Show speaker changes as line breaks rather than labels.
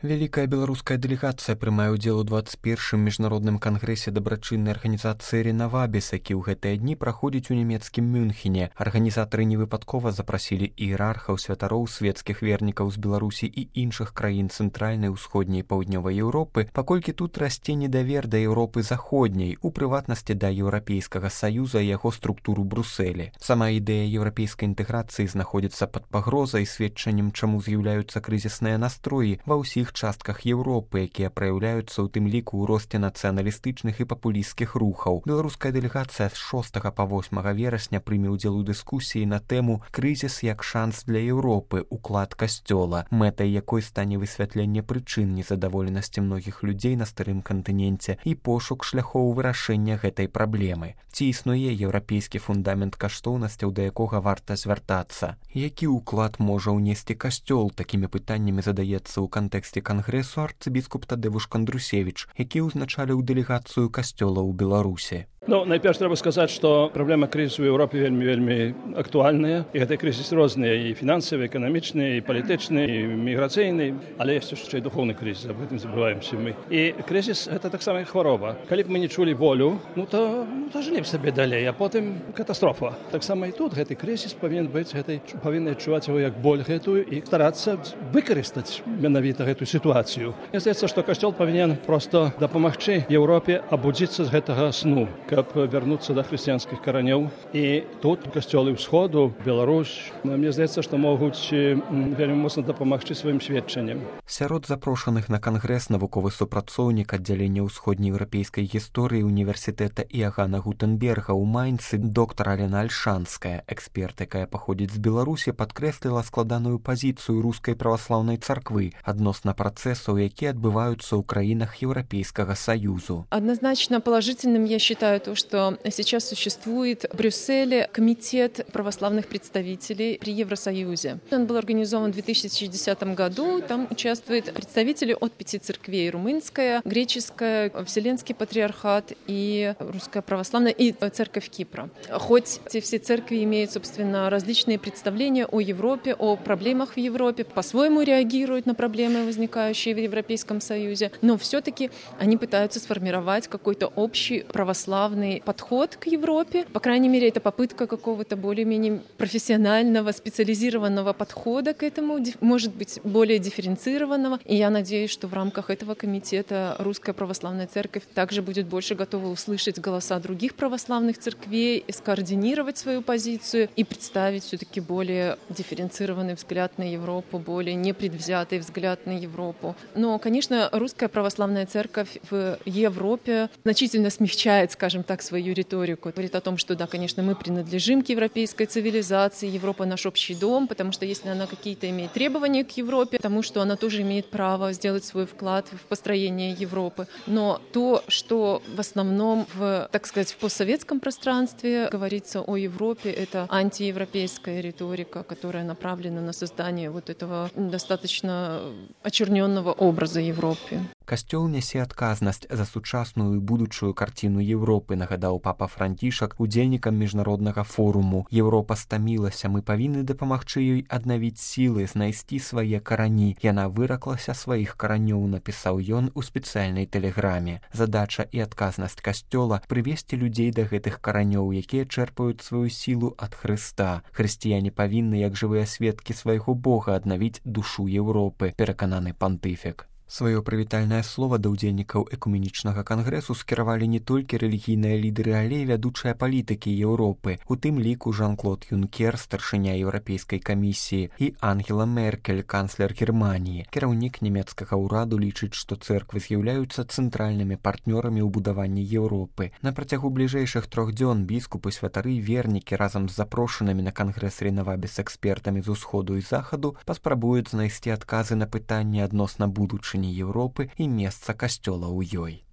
Вялікая беларуская дэлегацыя прымае ўдзел у 21-м міжнародным кангрэсе дабрачыннай арганізацыі «Ренавабіс», які ў гэтыя дні праходзіць у нямецкім Мюнхене. Арганізатары невыпадкова запрасілі іерархаў, святароў, светскіх вернікаў з Беларусі і іншых краін цэнтральнай, усходняй і паўднёвай Еўропы, паколькі тут расце недавер да Еўропы заходняй, у прыватнасці да Еўрапейскага саюза і яго структуру Брусэлі. Сама ідэя еўрапейскай інтэграцыі знаходзіцца пад пагрозай, сведчаннем чаму з'яўляюцца крызісныя настроі ва ўсіх частках Еўропы, якія праяўляюцца ў тым ліку ў росце нацыяналістычных і папулісцкіх рухаў. Беларуская дэлегацыя з 6 па 8 верасня прыме ўдзел у дыскусіі на тэму «Крызіс як шанс для Еўропы. Уклад касцёла», мэтай якой стане высвятленне прычын незадаволенасці многіх людзей на старым кантыненце і пошук шляхоў вырашэння гэтай праблемы. Ці існуе еўрапейскі фундамент каштоўнасцяў, да якога варта звяртацца? Які ўклад можа ўнесці касцёл? Такімі пытаннямі задаецца ў кантэксце кангрэсу арцыбіскуп Тадзеуш Кандрусевіч, які ўзначаліў дэлегацыю касцёла ў Беларусі.
Найперш трэба сказаць, што праблема крызісу ў Еўропе вельмі актуальная, і гэты крызіс розныя, і фінансавы, эканамічны, і палітычны, і міграцыйны, але ёсць яшчэ і духоўны крызіс, аб гэтым забываемся мы. І крызіс гэта таксама хвароба. Калі б мы не чулі болю, то жылі б сабе далей, а потым катастрофа. Таксама і тут гэты крызіс павінен быць, павінны адчуваць яго як боль гэтую і старацца выкарыстаць менавіта гэтую сітуацыю. Мне здаецца, што касцёл павінен проста дапамагчы Еўропе абудзіцца з гэтага сну, каб вярнуцца да хрысціянскіх каранёў. І тут касцёлы ўсходу, Беларусь, мне здаецца, што могуць вельмі моцна дапамагчы сваім сведчаннем.
Сярод запрошаных на кангрэс навуковы супрацоўнік аддзялення ўсходнееўрапейскай гісторыі універсітэта Іагана Гутенберга ў Майнцы доктар Алена Альшанская. Эксперт, якая паходзіць з Беларусі, падкрэсліла складаную пазіцыю рускай праваслаўнай царквы адносна працэсаў, якія адбываюцца ў краінах Еўрапейскага саюзу.
Однозначно положительным я считаю то, что сейчас существует в Брюсселе комитет православных представителей при Евросоюзе. Он был организован в 2010 году. Там участвуют представители от 5 церквей: румынская, греческая, Вселенский патриархат и русская православная, и церковь Кипра. Хоть эти все церкви имеют, собственно, различные представления о Европе, о проблемах в Европе, по-своему реагируют на проблемы, возникающие в Европейском Союзе, но все-таки они пытаются сформировать какой-то общий православный подход к Европе. По крайней мере, это попытка какого-то более-менее профессионального, специализированного подхода к этому, может быть, более дифференцированного. И я надеюсь, что в рамках этого комитета Русская Православная Церковь также будет больше готова услышать голоса других православных церквей, скоординировать свою позицию и представить все-таки более дифференцированный взгляд на Европу, более непредвзятый взгляд на Европу. Но, конечно, Русская Православная Церковь в Европе значительно смягчает, скажем так, свою риторику. Говорит о том, что да, конечно, мы принадлежим к европейской цивилизации, Европа наш общий дом, потому что если она какие-то имеет требования к Европе, потому что она тоже имеет право сделать свой вклад в построение Европы. Но то, что в основном так сказать, в постсоветском пространстве говорится о Европе, это антиевропейская риторика, которая направлена на создание вот этого достаточно очерненного образа Европы.
Касцёл нясе адказнасць за сучасную і будучую карціну Еўропы, нагадаў папа Францішак удзельнікам міжнароднага форуму. Еўропа стамілася, мы павінны дапамагчы ёй аднавіць сілы, знайсці свае карані. Яна выраклася сваіх каранёў, напісаў ён у спецыяльнай тэлеграме. Задача і адказнасць касцёла прывесці людзей да гэтых каранёў, якія чэрпаюць сваю сілу ад Хрыста. Хрысціяне павінны, як жывыя сведкі свайго Бога, аднавіць душу Еўропы, перакананы пантыфік. Сваё прывітальнае слова да ўдзельнікаў экуменічнага кангрэсу скіравалі не толькі рэлігійныя лідары, але і вядучыя палітыкі Еўропы, у тым ліку Жан-Клод Юнкер, старшыня Еўрапейскай камісіі, і Ангела Меркель, канцлер Германіі. Кіраўнік нямецкага ўраду лічыць, што цэрквы з'яўляюцца цэнтральнымі партнёрамі ў будаванні Еўропы. На працягу бліжэйшых 3 дзён біскупы, святары, вернікі разам з запрошанымі на кангрэс Ренавабіс экспертамі з усходу і захаду паспрабуюць знайсці адказы на пытанні адносна будучыні Еўропы і месца касцёла ў ёй.